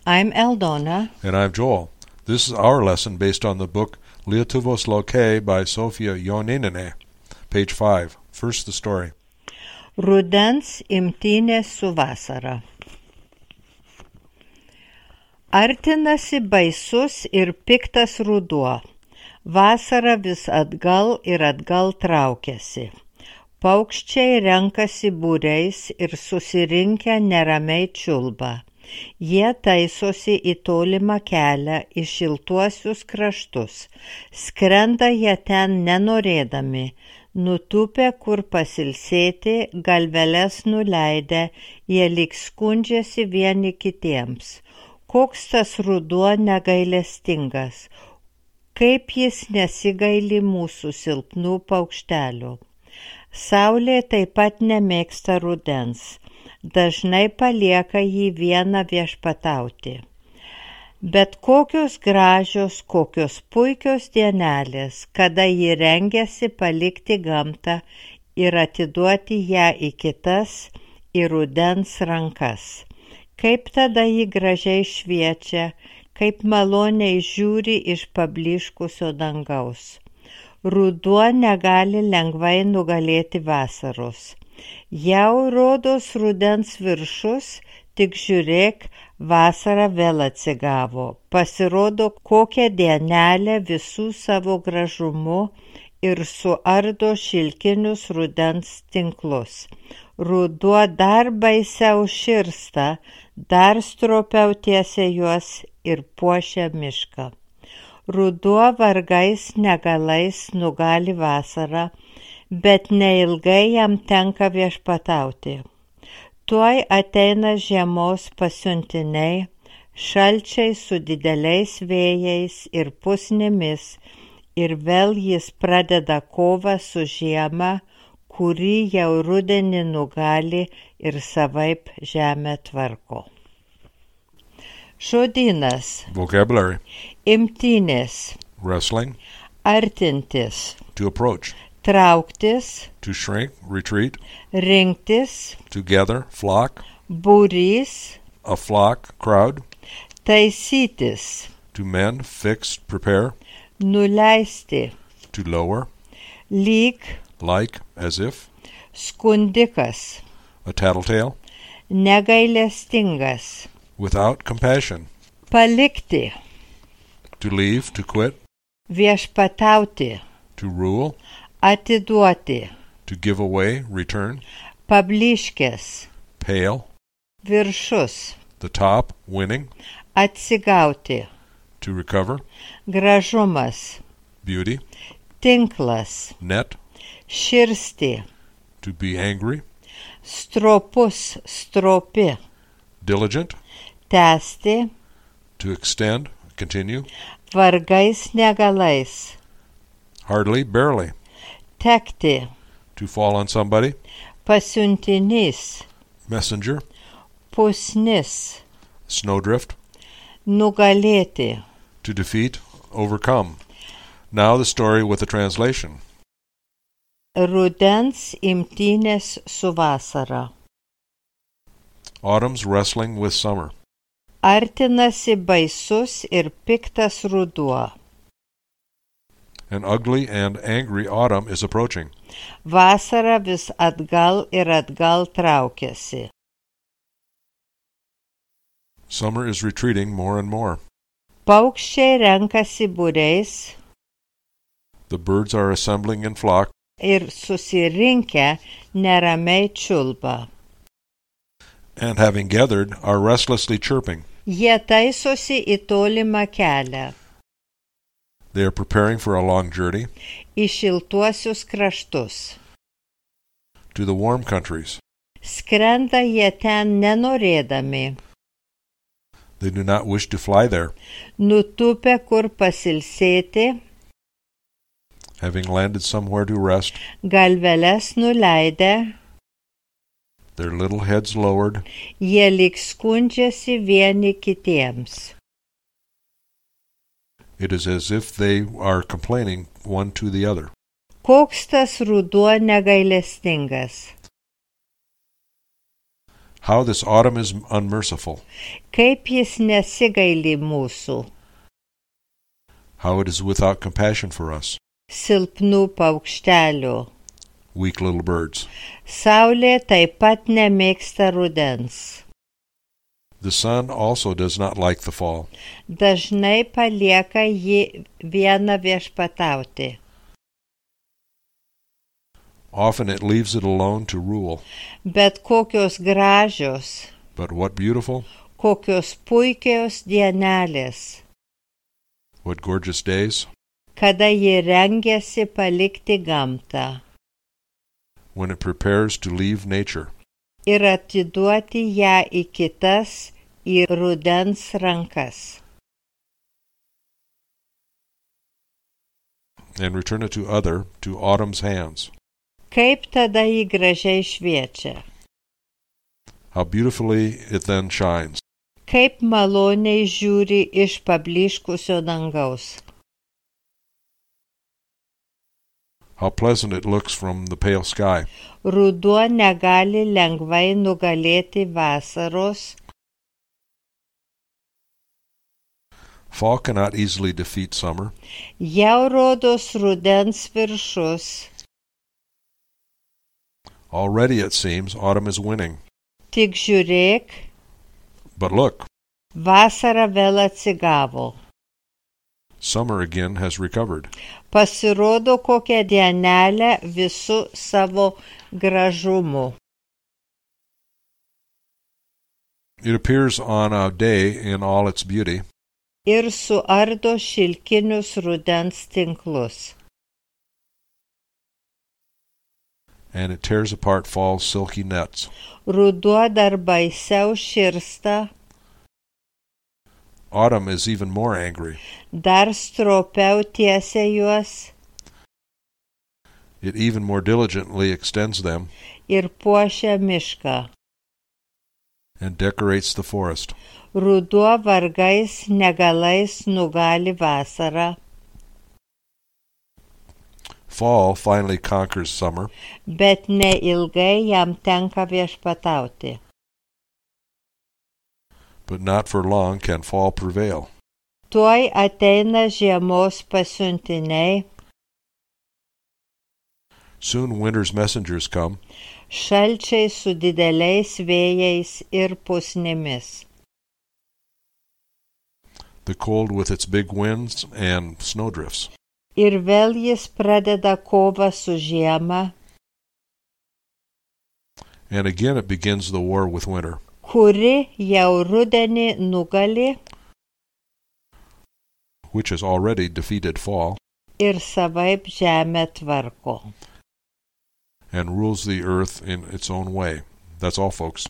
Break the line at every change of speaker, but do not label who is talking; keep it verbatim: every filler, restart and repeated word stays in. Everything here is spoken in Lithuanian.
I'm Aldona.
And I'm Joel. This is our lesson based on the book Lietuvos laukai by Sofija Joninenė. Page five. First the story.
Rudens imtynės su vasara. Artinasi baisus ir piktas ruduo. Vasara vis atgal ir atgal traukiasi. Paukščiai renkasi būriais ir susirinkę neramiai čiulba. Jie taisosi į tolimą kelią, į šiltuosius kraštus. Skrenda jie ten nenorėdami, nutupę kur pasilsėti, galveles nuleidę, jie lyg skundžiasi vieni kitiems. Koks tas ruduo negailestingas, kaip jis nesigaili mūsų silpnų paukštelių. Saulė taip pat nemėgsta rudens, dažnai palieka jį vieną viešpatauti. Bet kokios gražios, kokios puikios dienelės, kada ji rengiasi palikti gamtą ir atiduoti ją į kitas, į rudens rankas. Kaip tada ji gražiai šviečia, kaip maloniai žiūri iš pablyškusio dangaus. Ruduo negali lengvai nugalėti vasaros. Jau rodos rudens viršus, tik žiūrėk, vasara vėl atsigavo. Pasirodo, kokią dienelę visų savo gražumu ir suardo šilkinius rudens tinklus. Ruduo dar baisiau širsta, dar stropiau tiesia juos ir puošia mišką. Ruduo vargais negalais nugali vasarą, bet neilgai jam tenka viešpatauti. Tuoj ateina žiemos pasiuntiniai, šalčiai su dideliais vėjais ir pusnimis, ir vėl jis pradeda kovą su žiema, kuri jau rudenį nugali ir savaip žemę tvarko. Žodynas.
Vocabulary.
Imtynės.
Wrestling.
Artintis.
To approach.
Trauktis.
To shrink, retreat.
Rinktis.
To gather, flock.
Būrys.
A flock, crowd.
Taisytis.
To mend, fix, prepare.
Nuleisti.
To lower.
Lyg.
Like, as if.
Skundikas.
A tattletale.
Negailestingas.
Without compassion.
Palikti.
To leave, to quit.
Viešpatauti.
To rule.
Atiduoti.
To give away, return.
Pablyškės.
Pale.
Viršus.
The top, winning.
Atsigauti.
To recover.
Gražumas.
Beauty.
Tinklas.
Net.
Širsti.
To be angry.
Stropus, stropi.
Diligent.
Tęsti.
To extend, continue.
Vargais negalais.
Hardly, barely.
Tekti.
To fall on somebody.
Pasiuntinys.
Messenger.
Pusnis.
Snowdrift.
Nugalėti.
To defeat, overcome. Now the story with the translation.
Rudens imtynės su vasara.
Autumn's wrestling with summer.
Artinasi baisus ir piktas ruduo.
An ugly and angry autumn is approaching.
Vasara vis atgal ir atgal traukiasi.
Summer is retreating more and more.
Paukščiai renkasi būriais.
The birds are assembling in flock.
Ir susirinkę neramiai čiulba.
And having gathered, are restlessly chirping.
Jie taisosi į tolimą kelią.
They are preparing for a long journey.
Į šiltuosius kraštus.
To the warm countries.
Skrenda jie ten nenorėdami.
They do not wish to fly there.
Nutupę kur pasilsėti.
Having landed somewhere to rest.
Galveles nuleidę.
Their little heads lowered.
Jie lyg skundžiasi vieni kitiems.
It is as if they are complaining one to the other.
Koks tas ruduo negailestingas.
How this autumn is unmerciful.
Kaip jis nesigaili mūsų,
How it is without compassion for us,
silpnų paukštelių.
weak little birds.
Saulė taip pat nemėgsta rudens.
The sun also does not like the fall.
Dažnai palieka jį vieną viešpatauti.
Often it leaves it alone to rule.
Bet kokios gražios,
But what beautiful,
kokios puikios dienelės,
what gorgeous days,
kada ji rengiasi palikti gamtą
when it prepares to leave nature
ir atiduoti ją į kitas, į rudens rankas.
and return it to other, to autumn's hands.
Kaip tada ji gražiai šviečia,
How beautifully it then shines.
kaip maloniai žiūri iš pablyškusio dangaus.
How pleasant it looks from the pale sky.
Ruduo negali lengvai nugalėti vasaros,
Fall cannot easily defeat summer.
jau rodos rudens viršus.
Already, it seems, autumn is winning.
Tik žiūrėk,
But look,
vasara vėl atsigavo.
summer again has recovered.
Pasirodo kokią dienelę visu savo gražumu.
It appears on a day in all its beauty,
Ir suardo šilkinius rudens tinklus.
and it tears apart fall's silky nets.
Ruduo dar baisiau širsta,
Autumn is even more angry.
dar stropiau tiesia juos
It even more diligently extends them
ir puošia mišką.
and decorates the forest.
Ruduo vargais negalais nugali vasarą,
Fall finally conquers summer,
bet neilgai jam tenka viešpatauti.
but not for long can fall prevail.
Tuoj ateina žiemos pasiuntiniai,
Soon winter's messengers come,
šalčiai su dideliais vėjais ir pusnimis.
the cold with its big winds and snowdrifts.
Ir vėl jis pradeda kovą su žiema,
And again it begins the war with winter,
kuri jau rudenį nugali
which has already defeated fall
ir savaip žemę tvarko.
and rules the earth in its own way. That's all, folks.